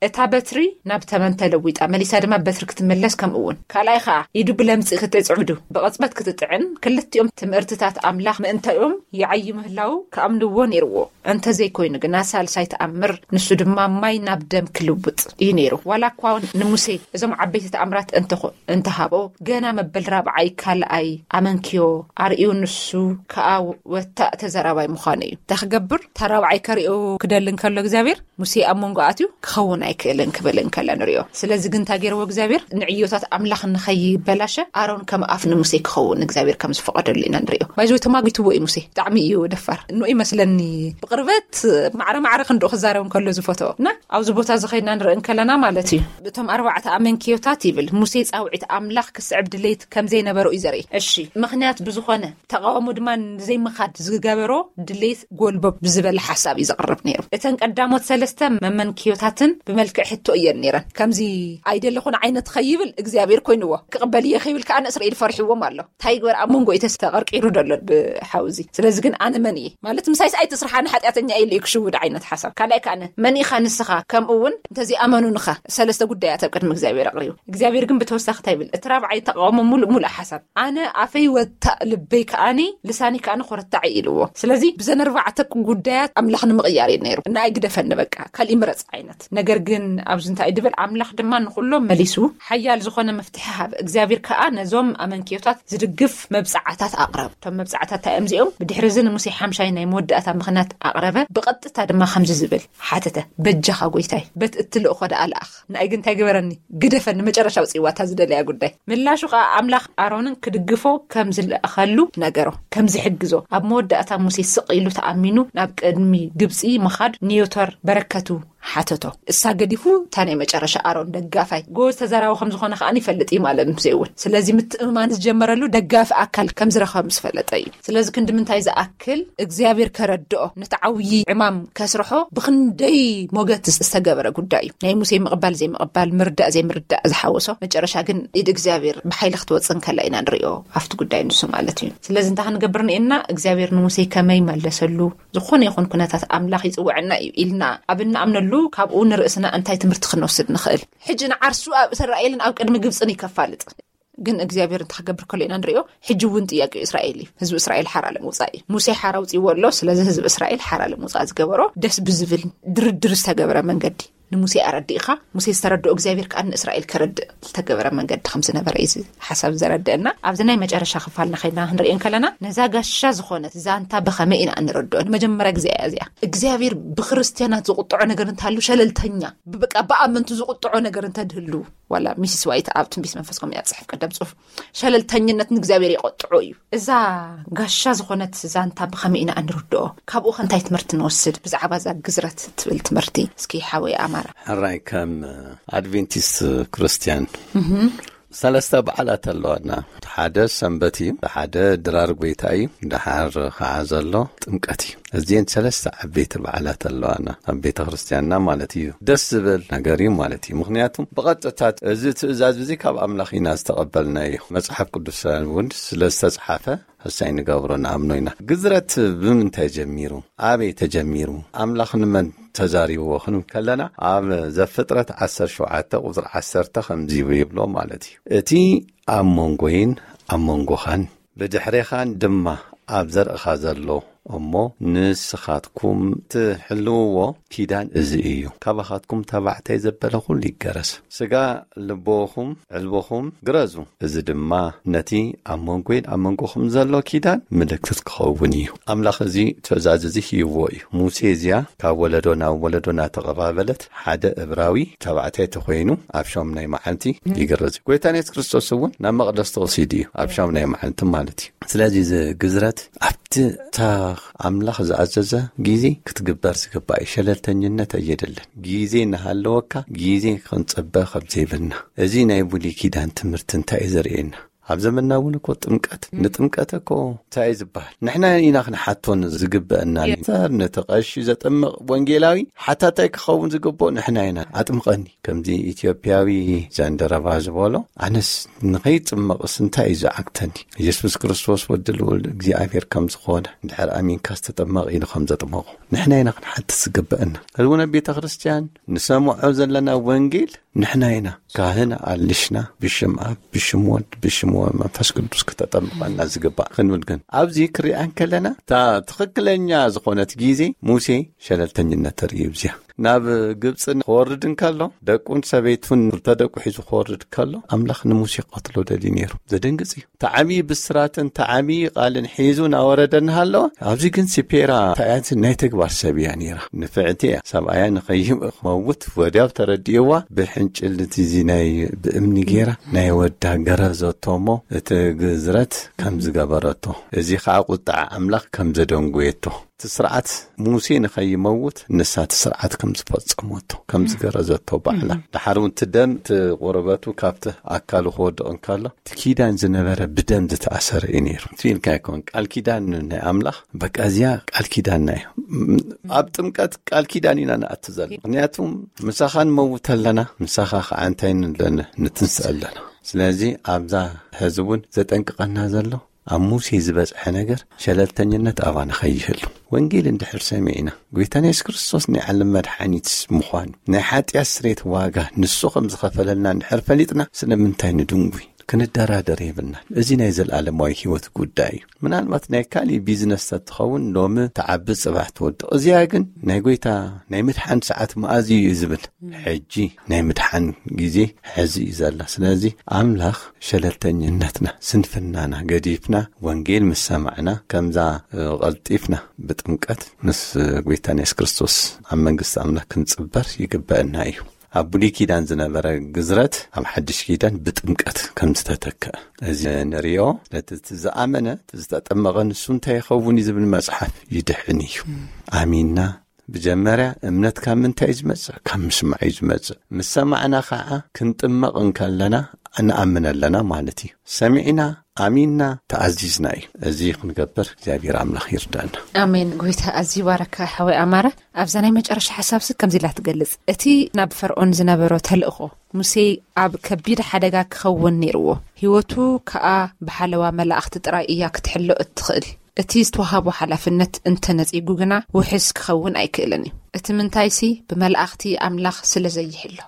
እታ በትሪ ናብ ተመን ተለዊጣ፣ መሊሳ ድማ በትሪ ክትምለስ፣ ከምኡ እውን ካልኣይ ኸኣ ኢዱ ብለምጺ ክትጽዕዱ ብቕጽበት ክትጥዕን፣ ክልቲኦም ትምህርትታት ኣምላኽ ምእንታኦም ይዓዩ ምህላዉ ክኣምንዎ ነይርዎ። እንተዘይኮይኑ ግና ሳልሳይ ተኣምር፣ ንሱ ድማ ማይ ናብ ደም ክልውጥ እዩ ነይሩ። ዋላ እኳ ንሙሴ እዞም ዓበይቲ ተኣምራት እንተኾ-፣ እንተሃቦ፣ ገና መበል ራብዓይ ካልኣይ ኣመንክዮ ኣርእዩ፣ ንሱ ከኣ ወታእ ተዘራባይ ምዃኑ እዩ። እንታይ ክገብር? እታ ራብዓይ ከርእዮ ክደሊ እንከሎ እግዚኣብሔር፣ ሙሴ ኣብ መንጎ ኣትዩ ክኸውን ኣይክእልን ክብል እንከሎ ንሪኦ። ስለዚ ግን እንታይ ገይርዎ እግዚኣብሔር? ንዕዮታት ኣምላኽ ንኸይበላሸ ኣሮን ከም ኣፍ ንሙሴ ክኸውን እግዚኣብሔር ከም ዝፈቐደሉ ኢና ንሪኦ። ባይዞ ተማጊትዎ እዩ ሙሴ። ብጣዕሚ እዩ ደፋር። ንኡ ይመስለኒ ብቕርበት ማዕረ ማዕረ ክንድኡ ክዛረብ እንከሎ ዝፈትኦ። እና ኣብዚ ቦታ እዚ ኸይድና ንርኢ እንከለና ማለት እዩ። እቶም ኣርባዕተ ኣመንክዮታት ይብል። ሙሴ ጻውዒት ኣምላኽ ክስዕብ ድሌት ከም ዘይነበሮ እዩ ዘርኢ። እሺ፣ ምኽንያት ብዝኾነ ተቓውሞ ድማ ንዘይምኻድ ዝገበሮ ድሌት ጎልበብ ብዝበለ ሓሳብ እዩ ዘቕርብ ነይሩ። እተን ቀዳሞት ሰለስተ መመንክዮታትን ብመልክዕ ሕቶ እየን ነይረን። ከምዚ ኣይደለኹን ዓይነት ኸይብል እግዚኣብሔር ኮይንዎ፣ ክቕበል እየ ኸይብል ከኣ ንእስራኤል ፈሪሕዎም ኣሎ። እንታይ ይግበር ኣብ መንጎ እዩ ተስተቐርቂሩ ደሎ ብሓውዚ። ስለዚ ግን ኣነ መን እየ? ማለት ምሳይስ ኣይትስራሕ፣ ኣነ ሓጢኣተኛ እየ ኢሉ እዩ ክሽውድ ዓይነት ሓሳብ። ካልኣይ ከኣ ኣነ መን ኢኻ ንስኻ? ከምኡ እውን እንተዘይኣመኑንኻ ሰለስተ ጉዳያት ኣብ ቅድሚ እግዚኣብሔር ኣቕሪቡ። እግዚኣብሔር ግን ብተወሳኺ እንታይ ይብል? እቲ ራብዓይ ተቃውሞ ሙሉእ ሙሉእ ሓሳብ ኣነ ኣፈይ ወታእ ልበይ ከኣኒ ልሳኒ ከኣኒ ኮረታዕ ኢልዎ። ስለዚ ብዘን ኣርባዕተ ጉዳያት ኣምላኽ ንምቕያር እዩ ነይሩ። እና ኣይግደፈኒ በቃ፣ ካልእ ምረጽ ዓይነት። ነገር ግን ኣብዚ እንታይ እዩ ድብል? ኣምላኽ ድማ ንኹሎም መሊሱ ሓያል ዝኾነ መፍትሒ ሃበ። እግዚኣብሔር ከኣ ነዞም ኣመንክዮታት ዝድግፍ መብጽዓታት ኣቕረብ። እቶም መብጽዓታት እንታይ እዮም እዚኦም? ብድሕሪ እዚ ንሙሴ ሓምሻይ ናይ መወዳእታ ምኽንያት ኣቕረበ። ብቐጥታ ድማ ከምዚ ዝብል ሓተተ፣ በጃኻ ጎይታይ፣ በቲ እትልእኾ ደኣ ለኣኽ። ንኣይ ግን እንታይ ግበረኒ? ግደፈኒ፣ መጨረሻ ኣውጽእዋ እታ ዝደለያ ጉዳይ። ምላሹ ኸኣ ኣምላኽ ኣሮንን ክድግፎ ከም ዝለኣኸሉ ነገሮ፣ ከም ዝሕግዞ። ኣብ መወዳእታ ሙሴ ስቕ ኢሉ ተኣሚኑ ናብ ቅድሚ ግብጺ ምኻድ ንዮቶር በረከቱ ሓተቶ። እሳ ገዲፉ እታ ናይ መጨረሻ ኣሮን ደጋፋይ ጎበዝ ተዛራቢ ከም ዝኾነ ከኣ ይፈልጥ እዩ ማለት ሙሴ እውን። ስለዚ ምትእምማን ዝጀመረሉ ደጋፊ ኣካል ከም ዝረኸበ ምስ ፈለጠ እዩ። ስለዚ ክንዲ ምንታይ ዝኣክል እግዚኣብሔር ከረድኦ ነቲ ዓብዪ ዕማም ከስርሖ ብኽንደይ ሞገት ዝተገበረ ጉዳይ እዩ። ናይ ሙሴ ምቕባል ዘይምቕባል፣ ምርዳእ ዘይምርዳእ ዝሓወሶ፣ መጨረሻ ግን ኢድ እግዚኣብሔር ብሓይሊ ክትወጽእ እንከላ ኢና ንሪኦ ኣብቲ ጉዳይ ንሱ ማለት እዩ። ስለዚ እንታይ ክንገብር ንኤና? እግዚኣብሔር ንሙሴ ከመይ መለሰሉ? ዝኾነ ይኹን ኩነታት ኣምላኽ ይጽውዐና እዩ ኢልና ኣብ እንኣምነሉ ካብኡ ንርእስና እንታይ ትምህርቲ ክንወስድ ንኽእል? ሕጂ ንዓርሱ ኣብ እስራኤልን ኣብ ቅድሚ ግብጽን እዩ ከፋልጥ። ግን እግዚኣብሔር እንታይ ክገብር ከሎ ኢና ንሪኦ። ሕጂ እውን ጥያቄ እስራኤል እዩ። ህዝቢ እስራኤል ሓራ ለምውጻእ እዩ። ሙሴ ሓራ ኣውጺእዎ ኣሎ። ስለዚ ህዝቢ እስራኤል ሓራ ለምውጻእ ዝገበሮ ደስ ብዝብል ድርድር ዝተገበረ መንገዲ ንሙሴ ኣረዲእኻ፣ ሙሴ ዝተረድኦ እግዚኣብሔር ከኣ ንእስራኤል ከረድእ ዝተገበረ መንገዲ ከም ዝነበረ እዩ እዚ ሓሳብ ዘረድአና። ኣብዚ ናይ መጨረሻ ክፋልና ከይድና ክንሪኦ እንከለና፣ ነዛ ጋሻ ዝኾነት ዛንታ ብኸመይ ኢና እንረድኦ? ንመጀመርያ ግዜ እያ እዚኣ። እግዚኣብሔር ብክርስትያናት ዝቁጥዖ ነገር እንተሃሉ ሸለልተኛ፣ ብበቃ ብኣመንቱ ዝቁጥዖ ነገር እንተድህሉ፣ ዋላ ሚስስ ዋይት ኣብ ትንቢት መንፈስ ከመይ ኣብ ጽሑፍ ቀደም ጽሑፍ፣ ሸለልተኝነት ንእግዚኣብሔር የቆጥዖ እዩ። እዛ ጋሻ ዝኾነት ዛንታ ብኸመይ ኢና እንርድኦ? ካብኡ ከ እንታይ ትምህርቲ ንወስድ? ብዛዕባ እዛ ግዝረት ትብል ትምህርቲ እስኪ ሓወይ ኣማራ። ሕራይ ከም ኣድቬንቲስት ክርስትያን ሰለስተ በዓላት ኣለዋና። ሓደ ሰንበት እዩ፣ ሓደ ድራር ጎይታ እዩ፣ ደሓር ከዓ ዘሎ ጥምቀት እዩ። እዚን ሰለስተ ዓበይቲ በዓላት ኣለዋና ኣብ ቤተ ክርስትያንና ማለት እዩ። ደስ ዝብል ነገር እዩ ማለት እዩ። ምክንያቱም ብቐጥታ እዚ ትእዛዝ እዚ ካብ ኣምላኽ ኢና ዝተቐበልናዮ። መጽሓፍ ቅዱስ እውን ስለ ዝተጽሓፈ ሕሳይ ንገብሮ ንኣምኖ ኢና። ግዝረት ብምንታይ ጀሚሩ? ኣበይ ተጀሚሩ? ኣምላኽ ንመን ተዛሪብዎ ክንብል ከለና ኣብ ዘፍጥረት ዓሰርተ ሸውዓተ ቁጽሪ ዓሰርተ ከምዚ ይብሎ ማለት እዩ። እቲ ኣብ መንጎይን ኣብ መንጎኻን ብድሕሬኻን ድማ ኣብ ዘርእኻ ዘሎ እሞ ንስኻትኩም ትሕልውዎ ኪዳን እዚ እዩ። ካባኻትኩም ተባዕታይ ዘበለ ኩሉ ይገረዝ። ስጋ ልቦኹም ዕልቦኹም ግረዙ። እዚ ድማ ነቲ ኣብ መንጎይን ኣብ መንጎኹም ዘሎ ኪዳን ምልክት ክኸውን እዩ። ኣምላኽ እዚ ትእዛዝ እዚ ሂብዎ እዩ። ሙሴ እዚኣ ካብ ወለዶ ናብ ወለዶ እናተቐባበለት ሓደ እብራዊ ተባዕታይ ተኾይኑ ኣብ ሻሙናይ መዓልቲ ይግረዝ እዩ። ጎይታና የሱስ ክርስቶስ እውን ናብ መቕደስ ተወሲዱ እዩ ኣብ ሻሙናይ መዓልቲ ማለት እዩ። ስለዚ እዚ ግዝረት ኣብቲ እታ ኣምላኽ ዝኣዘዘ ግዜ ክትግበር ዝግባእ እዩ። ሸለልተኝነት ኣየድልን። ግዜ እናሃለወካ ግዜ ክንጽበ ከም ዘይብልና እዚ ናይ ብሉይ ኪዳን ትምህርቲ እንታይ እዩ ዘርእየና? ኣብ ዘመንና እውን እኮ ጥምቀት፣ ንጥምቀት እኮ እንታይ እዩ ዝበሃል? ንሕና ኢና ክንሓቶን ዝግበአና። እምበር ነቲ ቀሺ ዘጥምቕ ወንጌላዊ ሓታታይ ክኸውን ዝግብኦ ንሕና ኢና። "ኣጥምቐኒ"፣ ከምዚ ኢትዮጵያዊ ጃንደረባ ዝበሎ፣ ኣነስ ንኸይጥመቕስ እንታይ እዩ ዝዓግተኒ? ኢየሱስ ክርስቶስ ወዲ ልዑል እግዚኣብሔር ከም ዝኾነ እንድሕር ኣሚንካ ዝተጠመቕ ኢሉ ከም ዘጥመቖ ንሕና ኢና ክንሓትት ዝግበአና። ሕዚ እውን ኣብ ቤተ ክርስቲያን ንሰምዖ ዘለና ወንጌል ንሕና ኢና። ካህን ኣልሽና፣ ብሽም ኣብ፣ ብሽም ወድ፣ ብሽም ወ-፣ መንፈስ ቅዱስ ክተጠምቐና ዝግባእ ክንብል ግን፣ ኣብዚ ክሪኣ እንከለና፣ እታ ትኽክለኛ ዝኾነት ግዜ ሙሴ ሸለልተኝነት ተርእዩ። እዚኣ ናብ ግብፂ ክወርድ እንከሎ፣ ደቁን ሰበይቱን ክልተ ደቁ ሒዙ ክወርድ ከሎ፣ ኣምላኽ ንሙሴ ክቐትሎ ደልዩ ነይሩ። ዘደንግጽ እዩ። እቲ ዓብዪ ብስራትን እቲ ዓብዪ ቃልን ሒዙ እናወረደ እናሃለወ፣ ኣብዚ ግን ሲፔራ እንታይ እያ? ናይ ተግባር ሰብ እያ ነይራ። ንፍዕቲ እያ። ሰብኣያ ንኸይመውት ወዲያው ተረዲእዋ፣ ብሕንጭል እቲ እዚ ናይ ብእምኒ ገይራ ናይ ወዳ ገረዘቶ እሞ፣ እቲ ግዝረት ከም ዝገበረቶ፣ እዚ ኸዓ ቁጥዓ ኣምላኽ ከም ዘደንጎየቶ፣ እቲ ስርዓት ሙሴ ንኸይመውት ንሳ እቲ ስርዓት ከም ዝፈጸመቶ፣ ከም ዝገረዘቶ ባዕላ። ድሓር እውን እቲ ደም፣ እቲ ቆርበቱ ካብቲ ኣካሉ ክወድቕ እንከሎ፣ እቲ ኪዳን ዝነበረ ብደም ዝተኣሰረ እዩ ነይሩ። እቲ ኢልካ ኣይኮን፣ ቃል ኪዳን ናይ ኣምላኽ፣ በቃ እዚኣ ቃል ኪዳንና እያ። ም-፣ ኣብ ጥምቀት ቃል ኪዳን ኢና ንኣቱ ዘለና። ምኽንያቱ ምሳኻ ንመውት ኣለና፣ ምሳኻ ኸዓ እንታይ ንብለና? ንትንስእ ኣለና። ስለዚ ኣብዛ ሕዚ እውን ዘጠንቅቐና ዘሎ፣ ኣብ ሙሴ ዝበጽሐ ነገር ሸለልተኝነት ኣባና ከይህሉ። ወንጌል እንድሕር ሰሚዕና፣ ጎይታና የሱስ ክርስቶስ ናይ ዓለም መድሓኒት ምዃኑ፣ ናይ ሓጢኣት ስሬት ዋጋ ንሱ ከም ዝኸፈለልና እንድሕር ፈሊጥና፣ ስለምንታይ ንድንጉይ? ክንደራደር የብልናን። እዚ ናይ ዘለኣለማዊ ህይወት ጉዳይ እዩ። ምናልባት ናይ ካሊእ ቢዝነስ ተትኸውን፣ ሎሚ ትዓቢ ጽባሕ ትወድቕ። እዚኣ ግን ናይ ጎይታ ናይ ምድሓን ሰዓት መኣዝ እዩ ዝብል። ሕጂ ናይ ምድሓን ግዜ ሕዚ እዩ ዘላ። ስለዚ ኣምላኽ ሸለልተኝነትና፣ ስንፍናና ገዲፍና፣ ወንጌል ምስ ሰማዕና፣ ከምዛ፣ እ፣ ቀልጢፍና ብጥምቀት ምስ፣ እ፣ ጎይታና የሱስ ክርስቶስ ኣብ መንግስቲ ኣምላኽ ክንጽበር ይግበአና እዩ። ኣብ ብሉይ ኪዳን ዝነበረ ግዝረት ኣብ ሓድሽ ኪዳን ብጥምቀት ከም ዝተተክአ እዚ ንሪኦ። ነቲ እቲ ዝኣመነ፣ እቲ ዝተጠመቐ ንሱ እንታይ ይኸውን እዩ ዝብል መጽሓፍ ይድሕን እዩ። ኣሚንና። ብጀመርያ እምነት ካብ ምንታይ እዩ ዝመጽእ? ካብ ምስማዕ እዩ ዝመጽእ። ምስ ሰማዕና ኸዓ ክንጥመቕ እንከለና ንኣምን ኣለና ማለት እዩ። ሰሚዕና፣ ኣሚንና፣ ተኣዚዝና እዩ። እዚ ክንገብር እግዚኣብሔር ኣምላኽ ይርዳና። ኣሜን። ጎይታ ኣዝዩ ይባረካ ሓወይ ኣማረ። ኣብዛ ናይ መጨረሻ ሓሳብሲ ከምዚ ኢላ ትገልጽ። እቲ ናብ ፈርዖን ዝነበሮ ተልእኾ፣ ሙሴ ኣብ ከቢድ ሓደጋ ክኸውን ነይርዎ። ህይወቱ ከኣ ብሓለዋ መላእኽቲ ጥራይ እያ ክትሕሎ እትኽእል። እቲ ዝተዋሃቦ ሓላፍነት እንተነጺጉ ግና ውሕስ ክኸውን ኣይክእልን እዩ። እቲ ምንታይሲ ብመላእኽቲ ኣምላኽ ስለ ዘይሕሎ።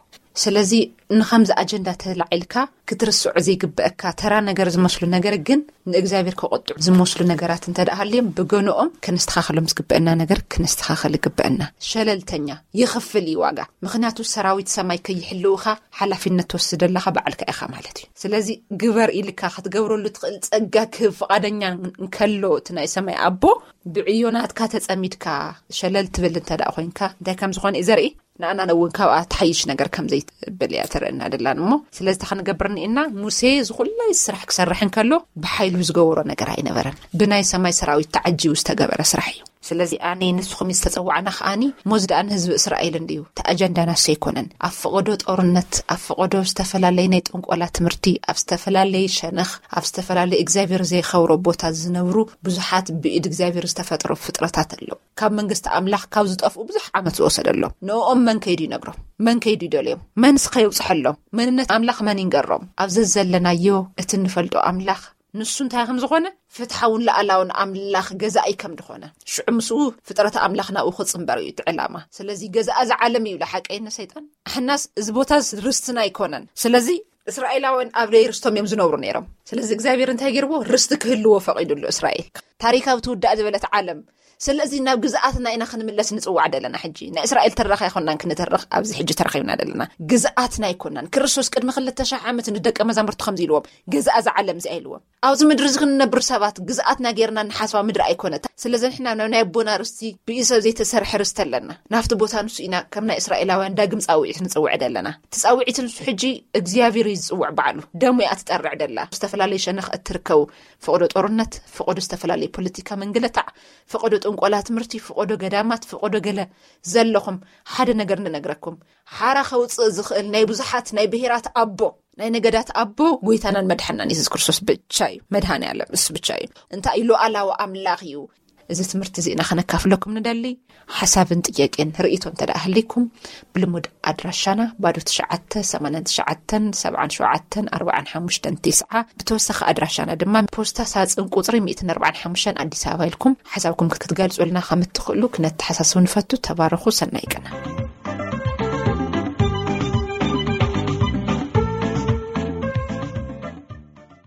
ስለዚ ንኸምዚ ኣጀንዳ ተላዒልካ ክትርስዖ ዘይግበአካ ተራ ነገር ዝመስሉ ነገር ግን ንእግዚኣብሔር ከቆጥዑ ዝመስሉ ነገራት እንተ ደኣ ሃልዮም ብገንኦም ከነስተኻኸሎም ዝግበአና ነገር ከነስተኻኸል ይግበአና። ሸለልተኛ ይኽፍል እዩ ዋጋ። ምኽንያቱ ሰራዊት ሰማይ ከይሕልውኻ ሓላፊነት ትወስድ ኣለኻ ባዕልካ ኢኻ ማለት እዩ። ስለዚ ግበር ኢልካ ክትገብረሉ ትኽእል ጸጋ ክህብ ፍቓደኛ እንከሎ እቲ ናይ ሰማይ ኣቦ ብዕዮ ናትካ ተጸሚድካ ሸለል ትብል እንተ ደኣ ኮይንካ እንታይ ከም ዝኾነ እዩ ዘርኢ። ንኣና እውን ካብኣ ትሓይሽ ነገር ከም ዘይትብል እያ ተርእና ደላን እሞ ስለዚ እንታይ ክንገብር እኒእና ሙሴ ዝኹላይ ስራሕ ክሰርሕ እንከሎ ብሓይሉ ዝገበሮ ነገር ኣይነበረን። ብናይ ሰማይ ሰራዊት ተዓጂቡ ዝተገበረ ስራሕ እዩ። ስለዚ ኣነ ንስኹም ዝተጸዋዕና ከኣኒ ሞዝ ደኣ ንህዝቢ እስራኤል እንድዩ። እቲ ኣጀንዳ ናሱ ኣይኮነን። ኣብ ፈቐዶ ጦርነት፣ ኣብ ፈቐዶ ዝተፈላለየ ናይ ጥንቆላ ትምህርቲ፣ ኣብ ዝተፈላለየ ሸነኽ፣ ኣብ ዝተፈላለየ እግዚኣብሔር ዘይኸብሮ ቦታ ዝነብሩ ብዙሓት ብኢድ እግዚኣብሔር ዝተፈጥሮ ፍጥረታት ኣለዉ። ካብ መንግስቲ ኣምላኽ ካብ ዝጠፍኡ ብዙሕ ዓመት ዝወሰደሎም ንኦም መን ከይዱ ይነግሮም? መን ከይዱ ይደልዮም? መንስ ከየውፅሐሎም? መንነት ኣምላኽ መን ይንገሮም? ኣብ ዘዘለናዮ እቲ እንፈልጦ ኣምላኽ ንሱ እንታይ ከም ዝኾነ ፍትሓውን ለኣላውን ኣምላኽ ገዛኢ ከም ዝኾነ ሽዑ ምስኡ ፍጥረት ኣምላኽ ናብኡ ክፅምበር እዩ እቲ ዕላማ። ስለዚ ገዛኣ ዝዓለም እዩ ኢሉ ሓቀይ ንሰይጣን። ኣሕናስ እዚ ቦታ ርስትና ኣይኮነን። ስለዚ እስራኤላውያን ኣብ ደይ ርስቶም እዮም ዝነብሩ ነይሮም። ስለዚ እግዚኣብሔር እንታይ ገይርዎ? ርስቲ ክህልዎ ፈቒዱሉ እስራኤል። ታሪካዊ ትውዳእ ዝበለት ዓለም። ስለዚ ናብ ግዝኣትና ኢና ክንምለስ ንጽዋዕ ደለና። ሕጂ ናይ እስራኤል ተራኺ ኣይኮናን ክንተርኽ ኣብዚ ሕጂ ተረኺብና ደለና። ግዝኣትና ኣይኮናን። ክርስቶስ ቅድሚ ክልተ ሺሕ ዓመት ንደቀ መዛሙርቱ ከምዚ ኢልዎም፣ ገዛኣ እዛ ዓለም እዚኣ ኢልዎም። ኣብዚ ምድሪ እዚ ክንነብር ሰባት ግዝኣትና ጌርና ንሓስባ ምድሪ ኣይኮነታ። ስለዚ ንሕና ናብ ናይ ኣቦና ርስቲ ብኢድ ሰብ ዘይተሰርሐ ርስቲ ኣለና። ናብቲ ቦታ ንሱ ኢና ከም ናይ እስራኤላውያን ዳግም ጻውዒት ንጽውዕ ደለና። እቲ ጻውዒት ንሱ ሕጂ እግዚኣብሔር እዩ ዝጽውዕ ባዕሉ። ደሙ እያ ትጠርዕ ደላ። ዝተፈላለዩ ሸነኽ እትርከቡ ፈቐዶ ጦርነት፣ ፈቐዶ ዝተፈላለየ ፖለቲካ ምንግልታዕ፣ ፈቐዶ ጥንቆላ ትምህርቲ፣ ፈቐዶ ገዳማት፣ ፈቐዶ ገለ ዘለኹም ሓደ ነገር ንነግረኩም። ሓራ ከውፅእ ዝኽእል ናይ ብዙሓት ናይ ብሄራት ኣቦ ናይ ነገዳት ኣቦ ጎይታናን መድሓናን የሱስ ክርስቶስ ብቻ እዩ። መድሃኔ ዓለም እሱ ብቻ እዩ። እንታይ እዩ? ሉዓላዊ ኣምላኽ እዩ። እዚ ትምህርቲ እዚእና ከነካፍለኩም ንደሊ። ሓሳብን ጥያቄን ርእይቶ እንተ ደኣ ህልይኩም፣ ብልሙድ ኣድራሻና ባዶ ትሽዓተ ሰማንያን ትሽዓተን ሰብዓን ሸውዓተን ኣርባዓን ሓሙሽተን ቴስዓ፣ ብተወሳኺ ኣድራሻና ድማ ፖስታ ሳጽን ቁጽሪ ሚእትን ኣርባዓን ሓሙሽተን ኣዲስ ኣበባ ኢልኩም ሓሳብኩም ክትገልጹልና ከም እትኽእሉ ክነተሓሳስብ ንፈቱ። ተባረኹ። ሰናይ ቀና።